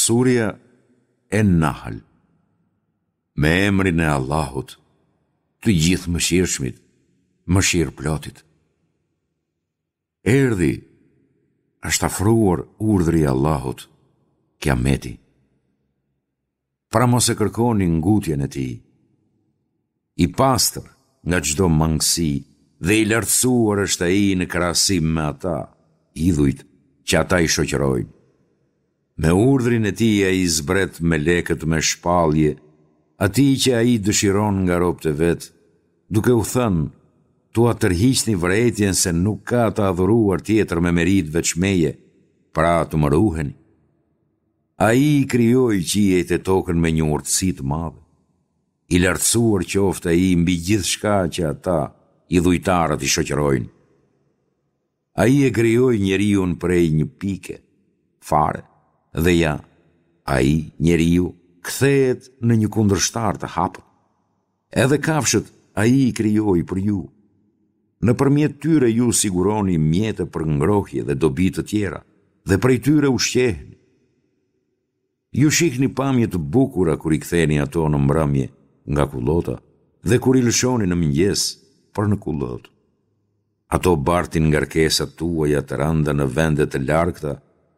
Surja En-Nahl Me emrin e Allahut, të Gjithëmëshirshmit, Mëshirëplotit. Erdhi, është afruar urdhri i Allahut, Kiameti. Pra mos e kërkoni ngutjen e tij. I pastër nga çdo mangësi dhe i lartësuar është ai në krahasim me ata, idhujt, që ata i shoqërojnë. Me urdhrin e tij ai zbret melekët me shpallje atij që ai dëshiron nga robët e vet, duke u thënë, T'ua tërhiqni vërejtjen se nuk ka të adhuruar tjetër me meritë veç meje, pra të më ruheni. Ai i krijoi qiejt e tokën me një urtësi të madhe. I lartësuar qoftë Ai mbi gjithçka që ata, idhujtarët, i shoqërojnë. Ai e krijoi njeriun prej një pike, fare, dhe ja, ai, njeriu, kthehet në një kundërshtar të hapët. Edhe kafshët Ai i krijoi për ju. Nëpërmjet tyre ju siguroni mjete për ngrohje dhe dobi të tjera, dhe prej tyre ushqeheni. Ju shihni pamje të bukura kur i ktheni ato në mbrëmje nga kullota dhe kur i lëshoni në mëngjes për në kullotë. Ato bartin ngarkesat tuaja të rënda në vende të largëta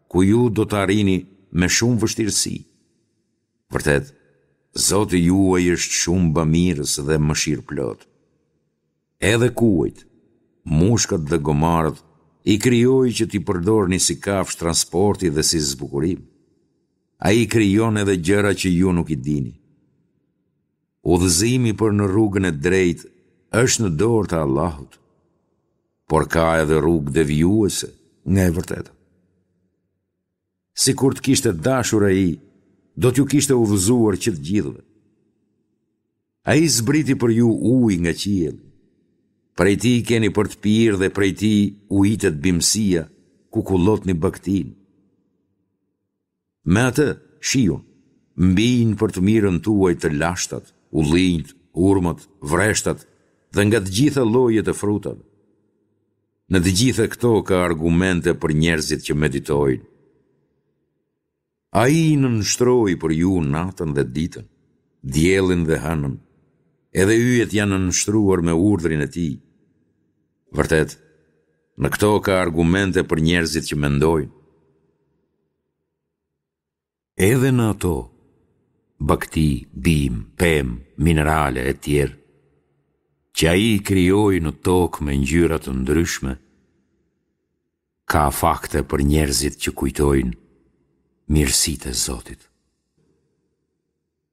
ku ju do të arrini me shumë vështirësi. Vërtet, Zoti juaj është shumë bamirës dhe mëshirëplotë. Edhe kuajt, mushkat dhe gomarët i krijoi që t'i përdorni si kafshë transporti dhe si zbukurim. Ai krijon edhe gjëra që ju nuk i dini. Udhëzimi për në rrugën e drejtë është në dorë të Allahut, por ka edhe rrugë devijuese nga e vërteta. Sikur të kishte dashur ai, do t'ju kishte udhëzuar që të gjithëve. Ai zbriti për ju ujë nga qielli. Prej tij keni për të pirë dhe prej tij ujitet bimësia, ku kullotni bagëtinë. Me atë, shiun, mbijnë për të mirën tuaj të lashtat, ullinjtë, hurmat, vreshtat dhe nga të gjitha llojet e frutave. Në të gjitha këto ka argumente për njerëzit që meditojnë. Ai i nënshtroi për ju natën dhe ditën, diellin dhe hënën, edhe yjet janë nënshtruar me urdhrin e tij. Vërtet, në këto ka argumente për njerëzit që mendojnë. Edhe në ato, bagëti, bimë, pemë, minerale etj. Që ai i krijoi në tokë me ngjyra të ndryshme, ka fakte për njerëzit që kujtojnë mirësitë e Zotit.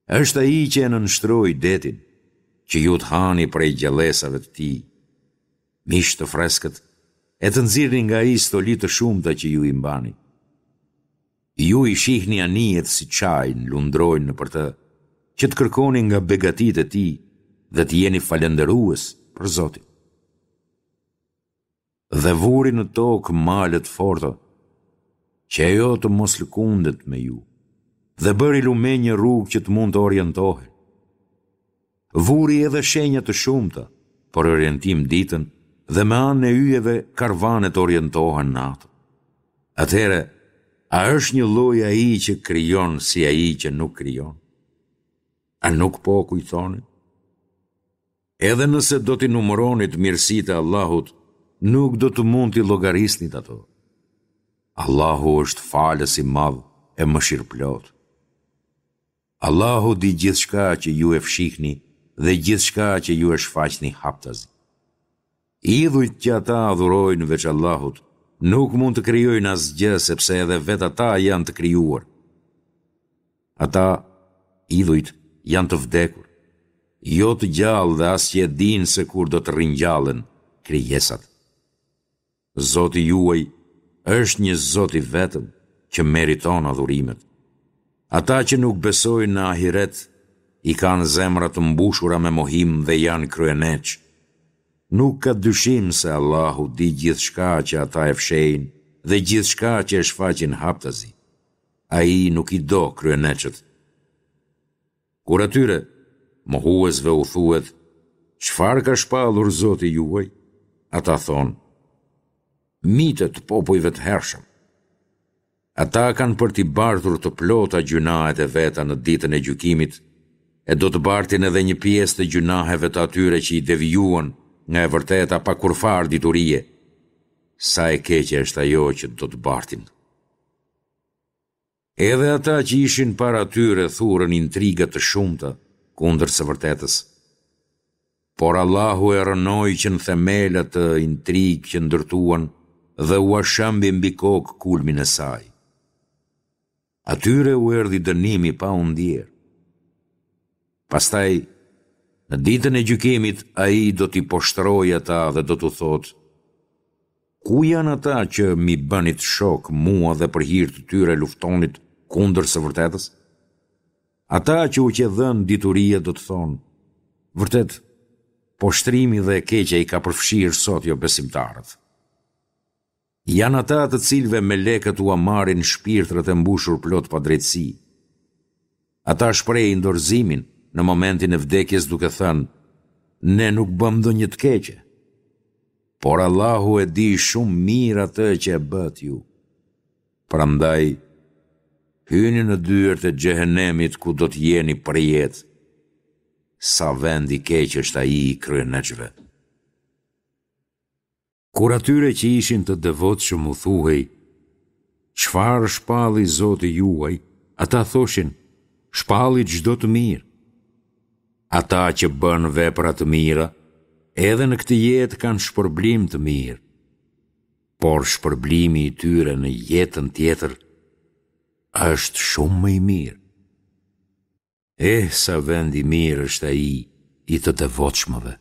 Është ai që e nënshtroi detin, që ju të hani prej gjallesave të tij, mish të freskët, e të nxirrni nga ai stoli të shumta që ju i mbani. Ju i shihni anijet si çajnë, lundrojnë nëpër të, që të kërkoni nga begatitë e tij dhe të jeni falënderues për Zotin. Dhe vuri në tokë male të forta, që ajo të mos lëkundet me ju, dhe bëri lumenj e rrugë që të mund të orientohen. Vuri edhe shenja të shumta për orientim ditën dhe me anën e yjeve karvanet orientohen natën. Atëherë, a është njëlloj ai që krijon si ai që nuk krijon? A nuk po kujtoni? Edhe nëse do t'i numëronit mirësitë e Allahut, nuk do të mund t'i llogarisnit ato. Allahu është falës i madh e mëshirëplotë. Allahu di gjithçka që ju e fshihni dhe gjithçka që ju e shfaqni haptazi. Idhujt që ata adhurojnë veç Allahut, nuk mund të krijojnë asgjë sepse edhe vetë ata janë të krijuar. Ata, idhujt, janë të vdekur, jo të gjallë dhe as që e dinë se kur do të ringjallen krijesat. Zoti juaj është një Zot i vetëm që meriton adhurimet. Ata që nuk besojnë në ahiret i kanë zemrat të mbushura me mohim dhe janë kryeneçë. Nuk ka dyshim se Allahu di gjithçka që ata e fshehin dhe gjithçka që e shfaqin haptazi. Ai nuk i do kryeneçët. Kur atyre, mohuesve u thuhet, Çfarë ka shpallur Zoti juaj? Ata thonë, Mite të popujve të hershëm. Ata kanë për t'i bartur të plota gjynahet e veta në ditën e gjykimit e do të bartin edhe një pjesë të gjynaheve të atyre që i devijuan nga e vërteta pa kurrfarë diturie. Sa e keqe është ajo që do të bartin. Edhe ata që ishin para tyre thurën intriga të shumta kundër së vërtetës. Por Allahu e rrënoi që në themel atë intrigë që ndërtuan dhe ua shembi mbi kokë kulmin e saj. Atyre u erdhi dënimi pa u ndjerë. Pastaj, në ditën e gjykimit, ai do t'i poshtërojë ata dhe do t'u thotë, Ku janë ata që m'i bënit shok mua dhe për hir të tyre luftonit kundër së vërtetës? Ata që u qe dhënë dituria do të thonë, Vërtet, poshtërimi dhe e keqja i ka përfshirë sot jobesimtarët. Janë ata të cilëve melekët ua marrin shpirtrat e mbushur plot padrejtësi. Ata shprehin dorëzimin në momentin e vdekjes duke thënë, Ne nuk bëmë ndonjë të keqe. Por Allahu e di shumë mirë atë që e bëtë ju. Prandaj, hyni në dyert e xhehenemit ku do të jeni përjetë. Sa vend i keq është ai i kryeneçëve. Kur atyre që ishin të devotshëm u thuhej, Çfarë shpalli Zoti juaj, ata thoshin, Shpalli çdo të mirë. Ata që bënë vepra të mira, edhe në këtë jetë kanë shpërblim të mirë, por shpërblimi i tyre në jetën tjetër është shumë më i mirë. Eh, sa vend i mirë është ai i të devotshmëve.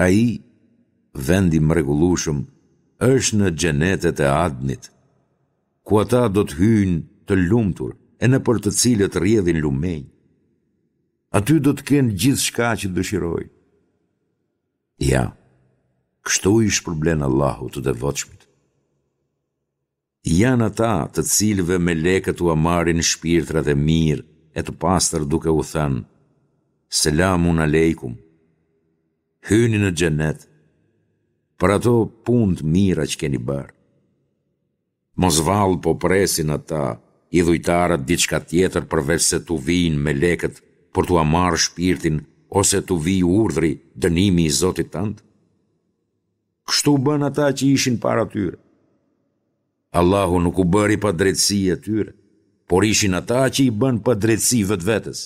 Ai, vend i mrekullueshëm, është në xhenetet e Adnit, ku ata do të hyjnë të lumtur e nëpër të cilët rrjedhin lumenj. Aty do të kenë gjithçka që dëshirojnë. Ja, kështu i shpërblen Allahu të devotshmit. Janë ata të cilëve melekët ua marrin shpirtrat e mirë e të pastër duke u thënë, Selamun alejkum, hyni në xhenet, për ato punë të mira që keni bërë. Mos vallë po presin ata, idhujtarët diçka tjetër përveçse t'u vijnë melekët për t'ua marrë shpirtin ose t'u vijë urdhri, dënimi i Zotit tënd? Kështu bënë ata që ishin para tyre. Allahu nuk u bëri padrejtësi atyre, por ishin ata që i bënë padrejtësi vetvetes.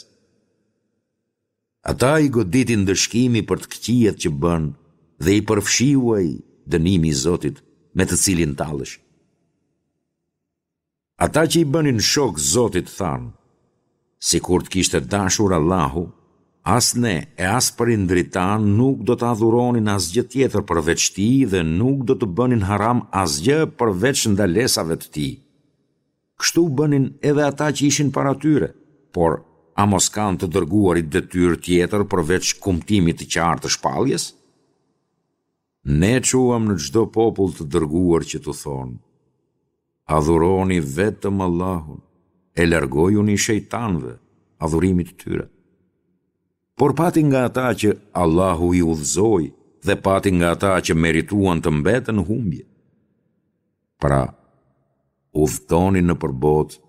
Ata i goditi ndëshkimi për të këqijat që bënë dhe i përfshiu ai, dënimi i Zotit, me të cilin talleshin. Ata që i bënin shok Zotit thanë, Sikur të kishte dashur Allahu, as ne e as prindërit tanë nuk do të adhuronin asgjë tjetër përveç Tij dhe nuk do të bënin haram asgjë përveç ndalesave të Tij. Kështu bënin edhe ata që ishin para tyre, por a mos kanë të dërguarit detyrë tjetër përveç kumtimit të qartë të shpalljes? Ne çuam në çdo popull të dërguar që t'u thonë, Adhuroni vetëm Allahun e largojuni shejtanëve, adhurimit të tyre. Por pati nga ata që Allahu i udhëzoi dhe pati nga ata që merituan të mbeten në humbje. Pra, udhëtoni nëpër botë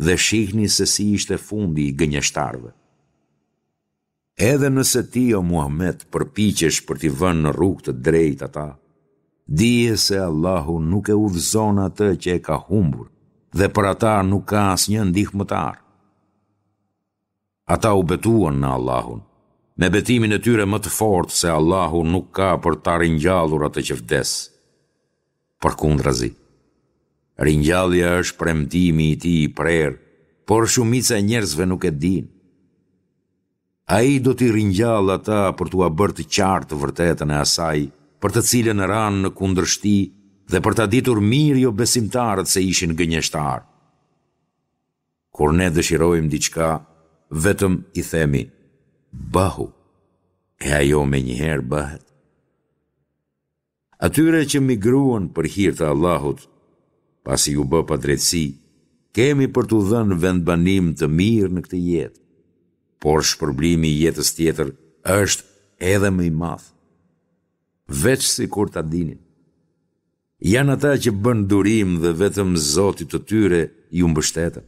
dhe shihni se si ishte fundi i gënjeshtarëve. Edhe nëse ti o Muhamed përpiqesh për t'i vënë në rrugë të drejtë ata, dije se Allahu nuk e udhëzon atë që e ka humbur dhe për ata nuk ka asnjë ndihmëtar. Ata u betuan në Allahun, me betimin e tyre më të fortë se Allahu nuk ka për ta ringjallur atë që vdes. Përkundrazi, ringjallja është premtimi i tij i prerë, por shumica e njerëzve nuk e dinë. Ai do t'i ringjallë ata për t'ua bërë të qartë të vërtetën e asaj, për të cilën ranë në kundërshti dhe për ta ditur mirë jobesimtarët se ishin gënjeshtarë. Kur ne dëshirojmë diçka, vetëm i themi, Bëhu, e ajo menjëherë bëhet. Atyre që migruan për hir të Allahut, pasi iu bë padrejtësi, kemi për t'u dhënë vendbanim të mirë në këtë jetë, por shpërblimi i jetës tjetër është edhe më i madh. Veç sikur ta dinin. Janë ata që bënë durim dhe vetëm Zotit të tyre iu mbështetën.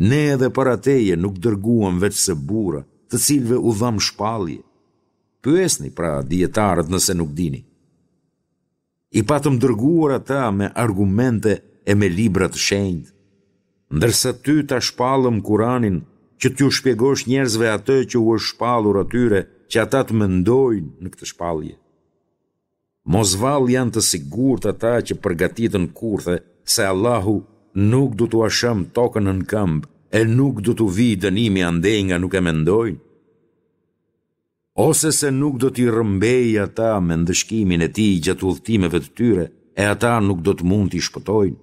Ne edhe para teje nuk dërguam veçse burra, të cilëve u dhamë shpallje. Pyesni, pra, dijetarët nëse nuk dini. I patëm dërguar ata me argumente e me libra të shenjtë, ndërsa ty ta shpallëm Kuranin që t'u shpjegosh njerëzve atë që u është shpallur atyre që ata të mendojnë në këtë shpallje. Mos vallë janë të sigurt ata që përgatitën kurthe se Allahu nuk do t'ua shembë tokën nën këmbë e nuk do t'u vijë dënimi andej nga nuk e mendojnë? Ose se nuk do t'i rrëmbejë ata me ndëshkimin e tij gjatë udhëtimeve të tyre e ata nuk do të mund t'i shpëtojnë,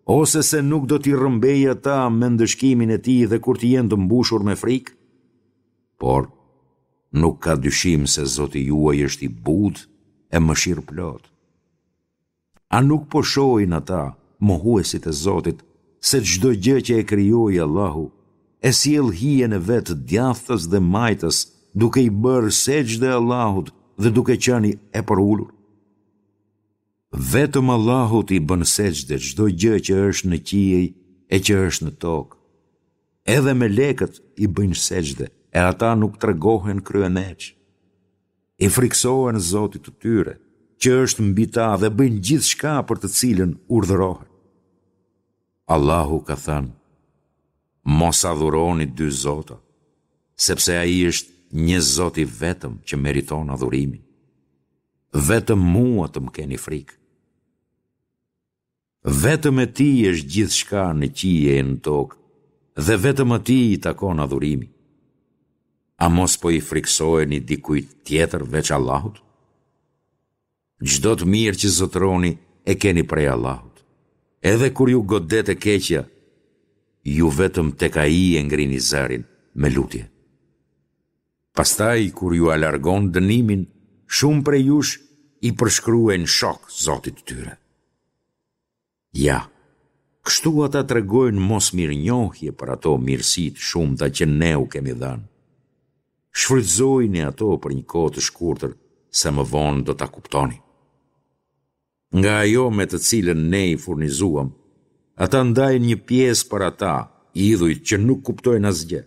ose se nuk do t'i rrëmbejë ata me ndëshkimin e tij dhe kur të jenë të mbushur me frikë? Por, nuk ka dyshim se Zoti juaj është i butë e mëshirëplotë. A nuk po shohin ata, mohuesit e Zotit, se çdo gjë që e krijoi Allahu, e sjell hijen e vet djathtas dhe majtas, duke i bërë sexhde Allahut dhe duke qenë e përulur? Vetëm Allahut i bën sexhde çdo gjë që është në qiej e që është në tokë. Edhe melekët i bëjnë sexhde e ata nuk tregohen kryeneçë. I frikësohen Zotit të tyre, që është mbi ta dhe bëjnë gjithçka për të cilën urdhërohen. Allahu ka thënë, Mos adhuroni dy zota, sepse ai është një Zot i vetëm që meriton adhurimin. Vetëm mua të më keni frikë. Vetëm e Tij është gjithçka në qiej e në tokë dhe vetëm Atij i takon adhurimi. A mos po i frikësoheni dikujt tjetër veç Allahut? Çdo të mirë që zotëroni e keni prej Allahut. Edhe kur ju godet e keqja, ju vetëm tek Ai e ngrini zërin me lutje. Pastaj kur jua largon dënimin, shumë prej jush i përshkruajnë shokë Zotit të tyre. Ja, kështu ata tregojnë mosmirënjohje për ato mirësi të shumta që ne u kemi dhënë. Shfrytëzojini ato për një kohë të shkurtër, se më vonë do ta kuptoni. Nga ajo me të cilën ne i furnizuam, ata ndajnë një pjesë për ata, idhujt që nuk kuptojnë asgjë.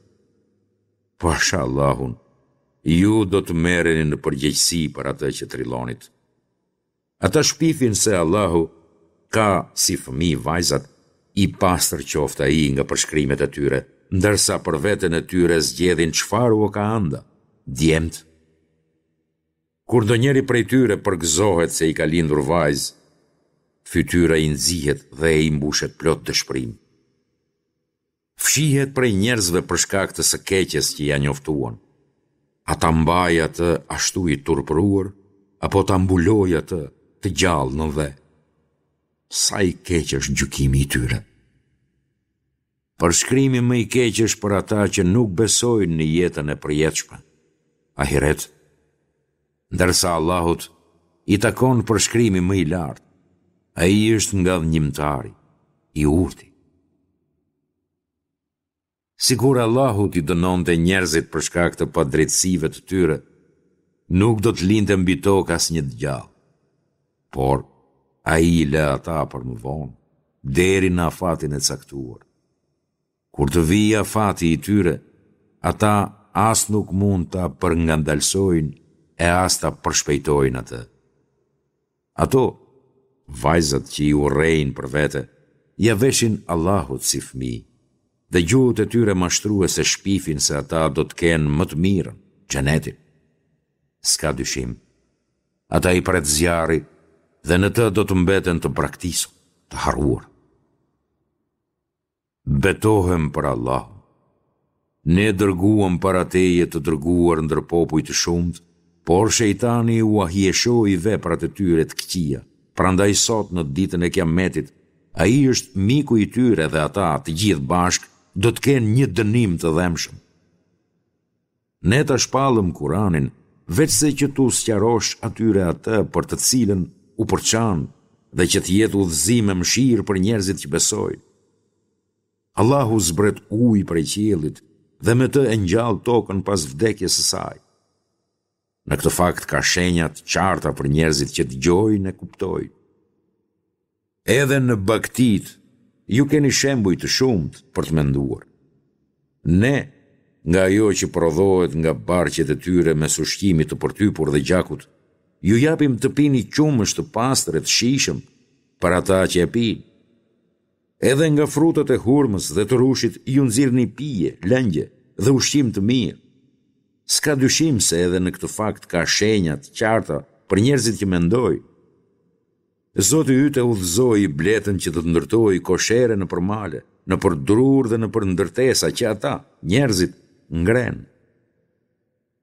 Pasha Allahun, ju do të merreni në përgjegjësi për atë që trillonit. Ata shpifin se Allahu ka si fëmijë vajzat, i pastër qoftë ai nga përshkrimet e tyre, ndërsa për veten e tyre zgjedhin çfarë ua ka ënda, djemtë. Kur ndonjëri prej tyre përgëzohet se i ka lindur vajzë, fytyra i nxihet dhe ai mbushet plot dëshpërim. Fshihet prej njerëzve për shkak të së keqes që ia njoftuan. A ta mbajë atë ashtu i turpëruar, apo ta mbulojë atë të gjallë në dhe? Sa i keq është gjykimi i tyre! Përshkrimi më i keq është për ata që nuk besojnë në jetën e përjetshme, ahiret, ndërsa Allahut i takon përshkrimi më i lartë, Ai është ngadhënjimtari, i urti. Sikur Allahu t'i dënonte njerëzit për shkak të padrejtësive të tyre, nuk do të linte mbi tokë asnjë të gjallë. Por, ai i lë ata për më vonë, deri në afatin e caktuar. Kur të vijë afati i tyre, ata as nuk mund ta përngadalësojnë e as ta përshpejtojnë atë. Ato, vajzat që i urrejnë për vete, ia veshin Allahut si fëmijë, dhe gjuhët e tyre mashtruese shpifin se ata do të kenë më të mirën, xhenetin. S'ka dyshim, Ata i pret zjarri dhe në të do të mbeten të braktisur, të harruar. Betohem për Allahun. Ne dërguam para teje të dërguar ndër popuj të shumtë, por shejtani ua hijeshoi veprat e tyre të këqija. Prandaj sot në ditën e Kiametit, ai është miku i tyre dhe ata të gjithë bashkë do të kenë një dënim të dhembshëm. Ne ta shpallëm Kuranin veçse që t'u sqarosh atyre atë për të cilën u përçanë dhe që të jetë udhëzim e mëshirë për njerëzit që besojnë. Allahu zbret ujë prej qiellit dhe me të e ngjall tokën pas vdekjes së saj. Në këtë fakt ka shenja të qarta për njerëzit që dëgjojnë e kuptojnë. Edhe në bagëtitë ju keni shembuj të shumtë për të menduar. Ne, nga ajo që prodhohet nga barqet e tyre mes ushqimit të përtypur dhe gjakut, ju japim të pini qumësht të pastër e të shijshëm për ata që e pinë. Edhe nga frutat e hurmës dhe të rrushit ju nxirrni pije, lëngje dhe ushqim të mirë. S'ka dyshim se edhe në këtë fakt ka shenja të qarta për njerëzit që mendojnë. Zoti yt e udhëzoi bletën që të ndërtojë koshere nëpër male, nëpër drurë dhe nëpër ndërtesa që ata, njerëzit, ngrenë.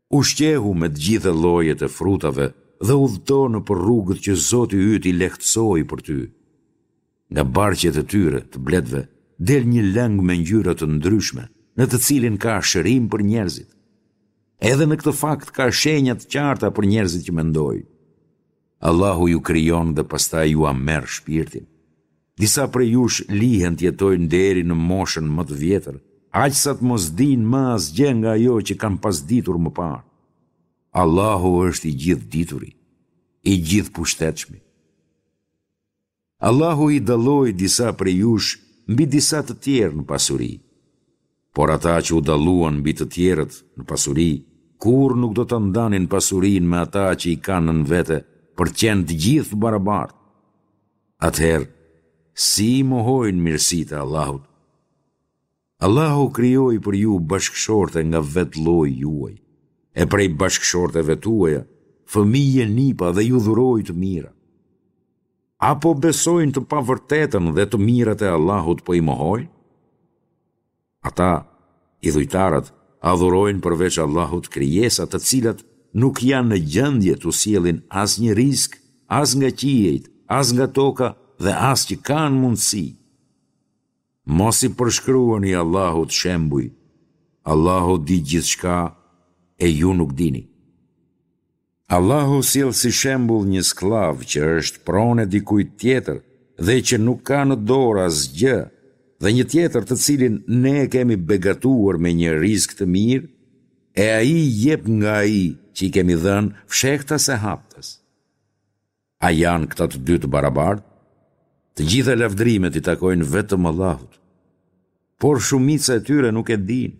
Ushqehu me të gjitha llojet e frutave dhe udhëto nëpër rrugët që Zoti yt i lehtësoi për ty. Nga barqet e tyre, të bletëve, del një lëng me ngjyra të ndryshme, në të cilin ka shërim për njerëzit. Edhe në këtë fakt ka shenja të qarta për njerëzit që mendojnë. Allahu ju krijon dhe pastaj jua merr shpirtin. Disa prej jush lihen të jetojnë deri në moshën më të vjetër, aq sa të mos dinë më asgjë nga ajo që kanë pas ditur më parë. Allahu është i Gjithëdituri, i Gjithëpushtetshmi. Allahu i dalloi disa prej jush mbi disa të tjerë në pasuri. Por ata që u dalluan mbi të tjerët në pasuri, kurrë nuk do ta ndanin pasurinë me ata që i kanë nën vete për të qenë të gjithë të barabartë. Atëherë, si i mohojnë mirësitë e Allahut? Allahu krijoi për ju bashkëshorte nga vetë lloji juaj, e prej bashkëshorteve tuaja, fëmijë e nipa dhe ju dhuroi të mira. A po besojnë të pavërtetën dhe të mirat e Allahut po i mohojnë? Ata, idhujtarët, adhurojnë përveç Allahut krijesa të cilat nuk janë në gjendje t'u sjellin asnjë rizk, as nga qiejt, as nga toka dhe as që kanë mundësi. Mos i përshkruani Allahut shembuj, Allahu di gjithçka e ju nuk dini. Allahu sjell si shembull një skllav që është pronë e dikujt tjetër dhe që nuk ka në dorë asgjë dhe një tjetër të cilin ne e kemi begatuar me një rizk të mirë e ai jep nga ai që i kemi dhënë fshehtas e haptas. A janë këta të dy të barabartë? Të gjitha lavdërimet i takojnë vetëm Allahut. Por shumica e tyre nuk e dinë.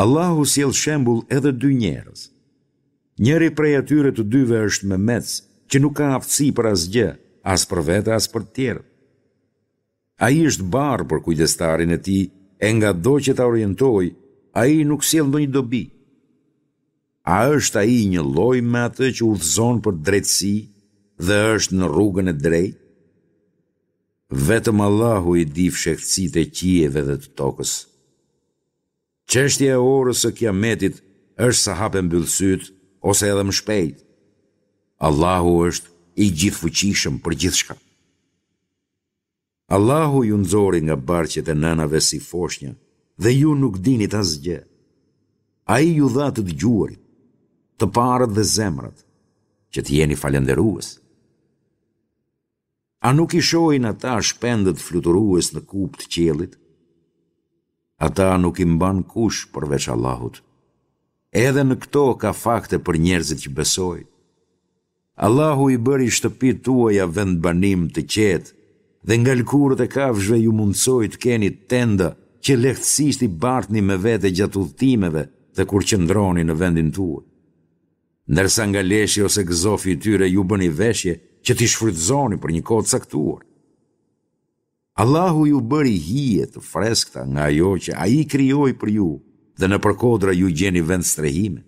Allahu sjell shembull edhe dy njerëz. Njëri prej atyre të dyve është memec, që nuk ka aftësi për asgjë, as për vete as për të tjerët. Ai është barrë për kujdestarin e tij e ngado që ta orientojë, ai nuk sjell ndonjë dobi. A është ai njëlloj me atë që udhëzon për drejtësi dhe është në rrugën e drejtë? Vetëm Allahu i di fshehtësitë e qiejve dhe të tokës. Çështja e orës së Kiametit është sa hap e mbyll sytë ose edhe më shpejt. Allahu është i gjithëfuqishëm për gjithçka. Allahu ju nxori nga barqet e nënave si foshnja dhe ju nuk dinit asgjë. Ai ju dha të dëgjuarit, të parët dhe zemrat, që të jeni falënderues. A nuk i shohin ata shpendët fluturues në kupë të qiellit? Ata nuk i mban kush përveç Allahut. Edhe në këto ka fakte për njerëzit që besojnë. Allahu i bëri shtëpitë tuaja vendbanim të qetë dhe nga lëkurët e kafshëve ju mundësoi të keni tenda që lehtësisht i bartni me vete gjatë udhëtimeve dhe kur qëndroni në vendin tuaj. Ndërsa nga leshi ose gëzofi i tyre ju bëni veshje që t'i shfrytëzoni për një kohë të caktuar. Allahu ju bëri hije të freskëta nga ajo që Ai krijoi për ju dhe nëpër kodra ju gjeni vendstrehime.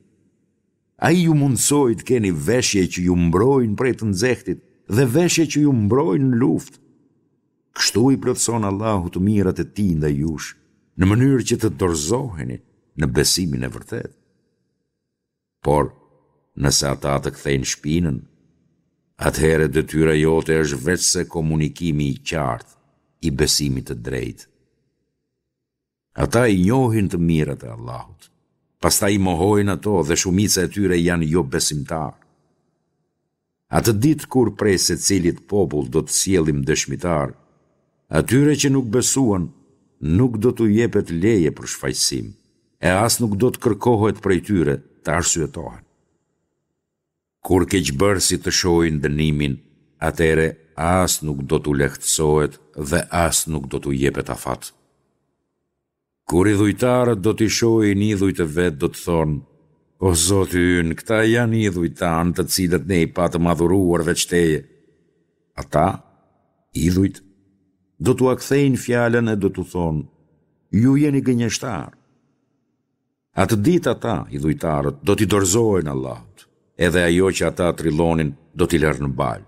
Ai ju mundësoi të keni veshje që ju mbrojnë prej të nxehtit dhe veshje që ju mbrojnë në luftë. Kështu i plotëson Allahu të mirat e Tij ndaj jush, në mënyrë që të dorëzoheni në besimin e vërtetë. Por, nëse ata të kthejnë shpinën, atëherë detyra jote është veçse komunikimi i qartë i besimit të drejtë. Ata i njohin të mirat e Allahut, pastaj i mohojnë ato dhe shumica e tyre janë jobesimtarë. Atë ditë kur prej secilit popull do të sjellim dëshmitarë, atyre që nuk besuan nuk do t'u jepet leje për shfajësim, e as nuk do të kërkohet prej tyre të arsyetohen. Kur keqbërësit të shohin dënimin, atëherë as nuk do t'u lehtësohet dhe as nuk do t'u jepet afat. Kur idhujtarët do t'i shohin idhujt e vet do të thonë, O Zoti ynë, këta janë idhujt tanë të cilët ne i patëm adhuruar veç Teje. Ata, idhujt, do t'ua kthejnë fjalën e do t'u thonë, Ju jeni gënjeshtarë. Atë ditë ata, idhujtarët, do t'i dorëzohen Allahut, edhe ajo që ata trillonin do t'i lërë në baltë.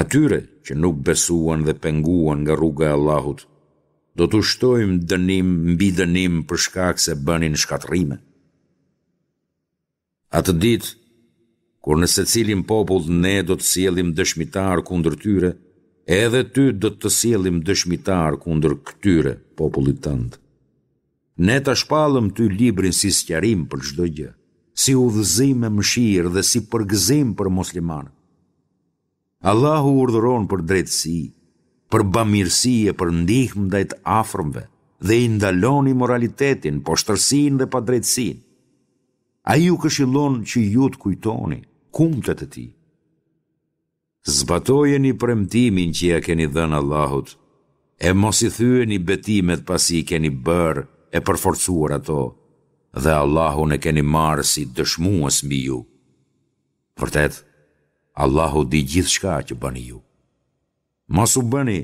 Atyre që nuk besuan dhe penguan nga rruga e Allahut, do t'u shtojmë dënim mbi dënim për shkak se bënin shkatërrime. Atë ditë, kur në secilin popull ne do të sjellim dëshmitar kundër tyre, edhe ty do të të sjellim dëshmitar kundër këtyre popullit tënd. Ne ta shpallëm ty librin si sqarim për çdo gjë, si udhëzim e mëshirë dhe si përgëzim për muslimanët. Allahu urdhëron për drejtësi, për bamirësi e për ndihmë ndaj të afërmve dhe i ndalon imoralitetin, poshtërsinë dhe padrejtësinë. Ai ju këshillon që ju të kujtoni kumtet e tij. Zbatojeni premtimin që ia keni dhënë Allahut, e mos i thyeni betimet pasi i keni bërë e përforcuar ato, dhe Allahun e keni marrë si dëshmues mbi ju. Vërtet, Allahu di gjithçka që bëni ju. Mos u bëni,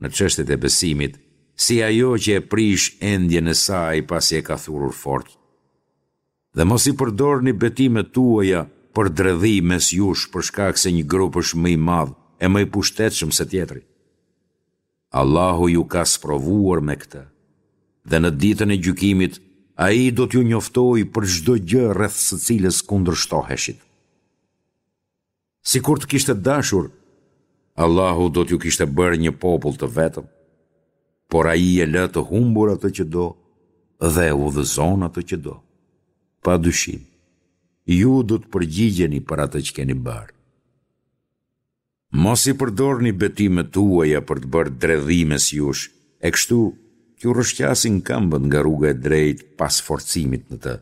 në çështjet e besimit, si ajo që e prish endjen e saj pasi e ka thurur fort. Dhe mos i përdorni betimet tuaja për dredhi mes jush për shkak se një grup është më i madh e më i pushtetshëm se tjetri. Allahu ju ka sprovuar me këtë, dhe në ditën e gjykimit Ai do t'ju njoftojë për çdo gjë rreth së cilës kundërshtoheshit. Sikur të kishte dashur, Allahu do t'ju kishte bërë një popull të vetëm, por Ai e lë të humbur atë që do dhe e udhëzon atë që do. Pa dyshim, ju do të përgjigjeni për atë që keni bërë. Mos i përdorni betimet tuaja për të bërë dredhi mes jush, e kështu t'ju rrëshqasin këmbët nga rruga e drejtë pas forcimit në të.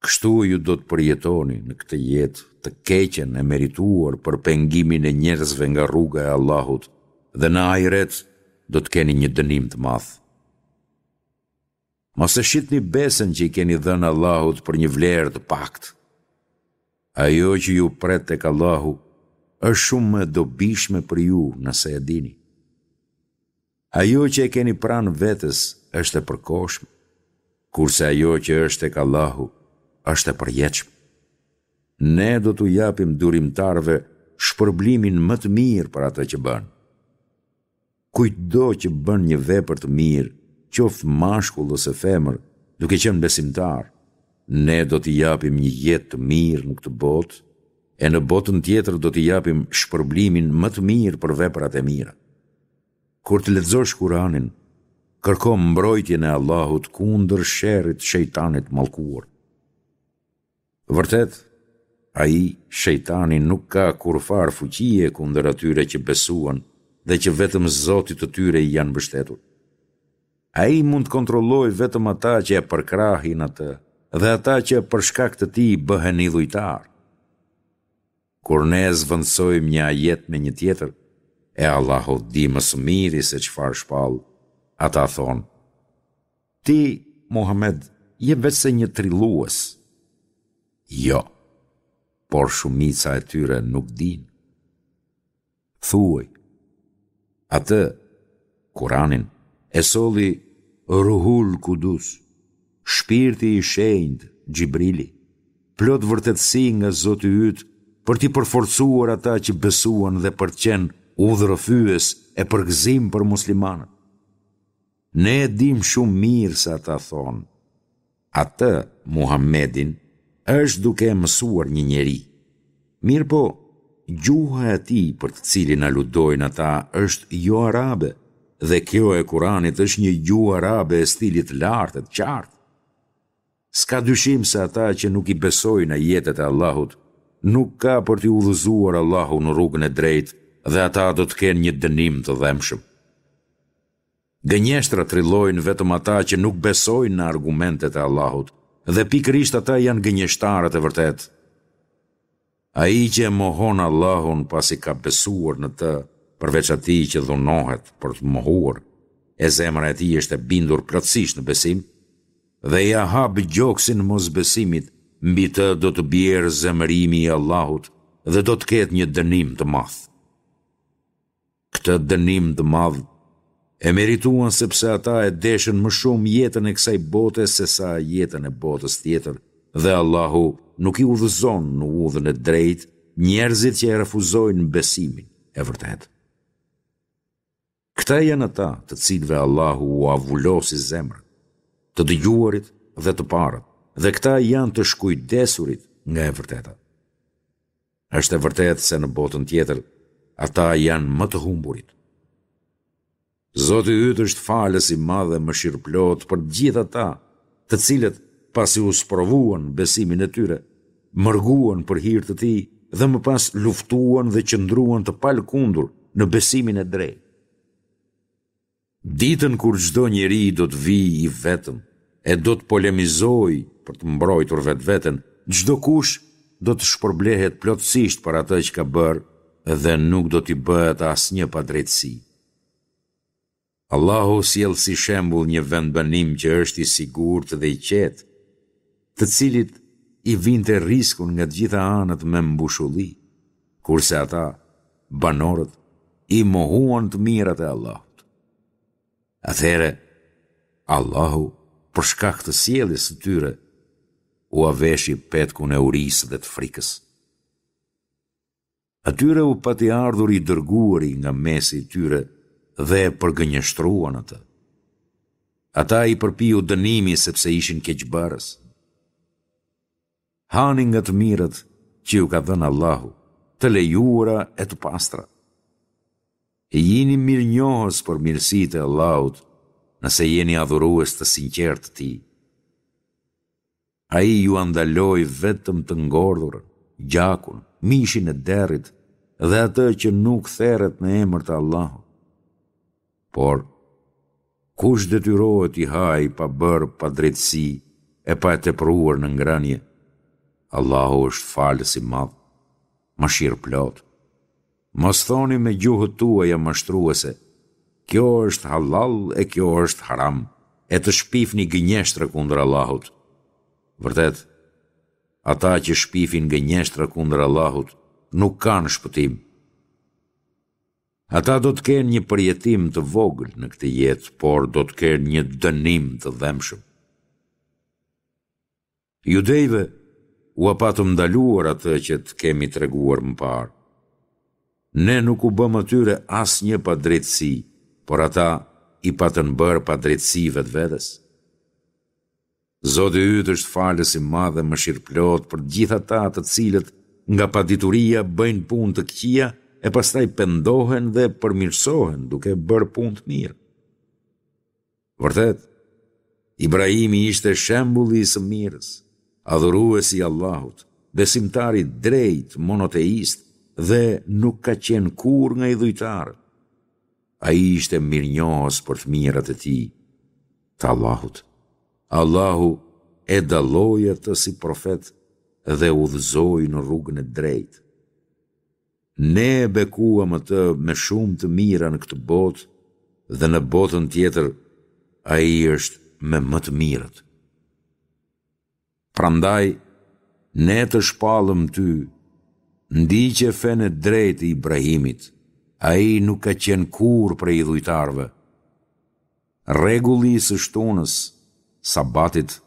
Kështu ju do të përjetoni në këtë jetë të keqen e merituar për pengimin e njerëzve nga rruga e Allahut dhe në ahiret do të keni një dënim të madh. Mos e shitni besën që i keni dhënë Allahut për një vlerë të paktë. Ajo që ju pret tek Allahu është shumë më e dobishme për ju nëse e dini. Ajo që e keni pranë vetes është e përkohshme, kurse ajo që është tek Allahu është e përjetshme. Ne do t'u japim durimtarëve shpërblimin më të mirë për atë që bënë. Kujtdo që bën një vepër të mirë, qoftë mashkull ose femër, duke qenë besimtar, Ne do t'i japim një jetë të mirë në këtë botë, e në botën tjetër do t'i japim shpërblimin më të mirë për veprat e mira. Kur të lexosh Kuranin, kërko mbrojtjen e Allahut kundër sherrit të shejtanit të mallkuar. Vërtet, ai, shejtani, nuk ka kurrfarë fuqie kundër atyre që besuan dhe që vetëm Zotit të tyre i janë mbështetur. Ai mund të kontrollojë vetëm ata që e përkrahin atë dhe ata që për shkak të tij bëhen idhujtarë. Kur ne zëvendësojmë një ajet me një tjetër, e Allahu di më së miri se çfarë shpall, ata thonë, Ti, Muhamed, je veçse një trillues. Jo, por shumica e tyre nuk dinë. Thuaj, atë, Kuranin, e solli Ruhul Kudus, Shpirti i Shenjtë, Xhibrili, plot vërtetësi nga Zoti yt për t'i përforcuar ata që besuan dhe për të qenë udhërrëfyes e përgëzim për muslimanët. Ne e dimë shumë mirë se ata thonë, Atë, Muhammedin, është duke e mësuar një njeri. Mirëpo, gjuha e atij për të cilin aludojnë ata është joarabe dhe kjo e Kuranit është një gjuhë arabe e stilit të lartë e të qartë. S'ka dyshim se ata që nuk i besojnë ajetet e Allahut, nuk ka për t'i udhëzuar Allahu në rrugën e drejtë dhe ata do të kenë një dënim të dhembshëm. Gënjeshtra trillojnë vetëm ata që nuk besojnë në argumentet e Allahut, dhe pikërisht ata janë gënjeshtarët e vërtetë. Ai që e mohon Allahun pasi ka besuar në të, përveç atij që dhunohet për të mohuar, e zemra e tij është e bindur plotësisht në besim, dhe ia hap gjoksin mosbesimit, mbi të do të bjerë zemërimi i Allahut dhe do të ketë një dënim të madh. Këtë dënim të madh e merituan sepse ata e deshën më shumë jetën e kësaj bote sesa jetën e botës tjetër dhe Allahu nuk i udhëzon në udhën e drejtë njerëzit që e refuzojnë besimin e vërtetë. Këta janë ata të cilëve Allahu ua vulosi zemrën, të dëgjuarit dhe të parët, dhe këta janë të shkujdesurit nga e vërteta. Është e vërtetë se në botën tjetër ata janë më të humburit. Zoti yt është falës i madh e mëshirëplotë për të gjithë ata, të cilët, pasi u sprovuan në besimin e tyre, mërguan për hir të tij dhe më pas luftuan dhe qëndruan të palëkundur në besimin e drejtë. Ditën kur çdo njeri do të vijë i vetëm e do të polemizojë për të mbrojtur vetveten, çdokush do të shpërblehet plotësisht për atë që ka bërë dhe nuk do t'i bëhet asnjë padrejtësi. Allahu sjell si shembull një vendbanim që është i sigurt dhe i qetë, të cilit i vinte rrisku nga të gjitha anët me mbushulli, kurse ata, banorët, i mohuan të mirat e Allahut. Atëherë, Allahu, për shkak të sjelljes së tyre, ua veshi petkun e urisë dhe të frikës. Atyre u pati ardhur i dërguari nga mesi i tyre dhe e përgënjeshtruan atë. Ata i përpiu dënimi sepse ishin keqbërës. Hani nga të mirat që ju ka dhënë Allahu, të lejuara e të pastra. E jini mirënjohës për mirësitë e Allahut, nëse jeni adhurues të sinqertë të Tij. Ai jua ndaloi vetëm të ngordhurën, gjakun, mishin e derrit dhe atë që nuk theret në emër të Allahut. Por, kush detyrohet t'i hajë pa bërë padrejtësi e pa e tepruar në ngrënie, Allahu është falës i madh, mëshirëplotë. Mos thoni me gjuhët tuaja mashtruese, Kjo është hallall e kjo është haram, e të shpifni gënjeshtra kundër Allahut. Vërtet, ata që shpifin gënjeshtra kundër Allahut nuk kanë shpëtim. Ata do të kenë një përjetim të vogël në këtë jetë, por do të kenë një dënim të dhembshëm. Judejve ua patëm ndaluar atë që të kemi treguar më parë. Ne nuk u bëmë atyre asnjë padrejtësi, por ata i patën bërë padrejtësi vetvetes. Zoti yt është falës i madh e mëshirëplotë për të gjithë ata të cilët nga padituria bëjnë punë të këqija e pastaj pendohen dhe përmirësohen duke bërë punë të mirë. Vërtet, Ibrahimi ishte shembulli i së mirës, adhurues i Allahut, besimtar i drejtë, monoteist dhe nuk ka qenë kurrë nga idhujtarët. Ai ishte mirënjohës për të mirat e tij, të Allahut. Allahu e dalloi atë si profet dhe e udhëzoi në rrugën e drejtë. Ne e bekuam atë me shumë të mira në këtë botë dhe në botën tjetër ai është me më të mirët. Prandaj, ne të shpallëm ty, ndiqe fenë e drejtë të Ibrahimit, ai nuk ka qenë kurrë prej idhujtarëve. Rregulli i së shtunës, sabatit,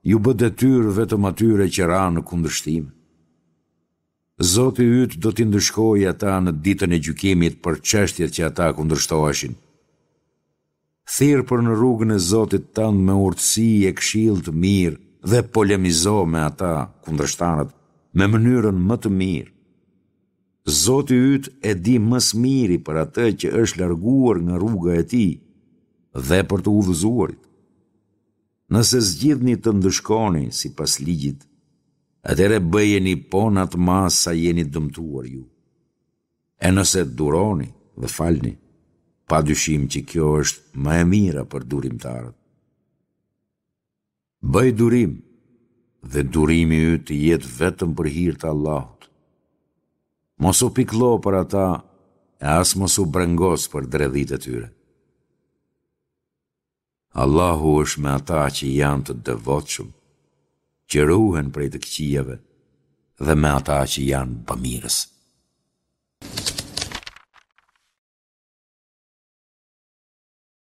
iu bë detyrë vetëm atyre që ranë në kundërshtim. Zoti yt do t'i ndëshkojë ata në ditën e gjykimit për çështjet që ata kundërshtoheshin. Thirr për në rrugën e Zotit tënd me urtësi e këshillë të mirë dhe polemizo me ata, kundërshtarët, me mënyrën më të mirë. Zoti yt e di më së miri për atë që është larguar nga rruga e tij dhe për të udhëzuarit. Nëse zgjidhni të ndëshkoni sipas ligjit, atëherë bëjeni po në atë masë sa jeni dëmtuar ju. E nëse duroni dhe falni, pa dyshim që kjo është më e mira për durimtarët. Bëj durim dhe durimi yt të jetë vetëm për hir të Allahut. Mos u pikëllo për ata e as mos u brengos për dredhitë e tyre. Allahu është me ata që janë të devotshëm, që ruhen prej të këqijave dhe me ata që janë bamirës.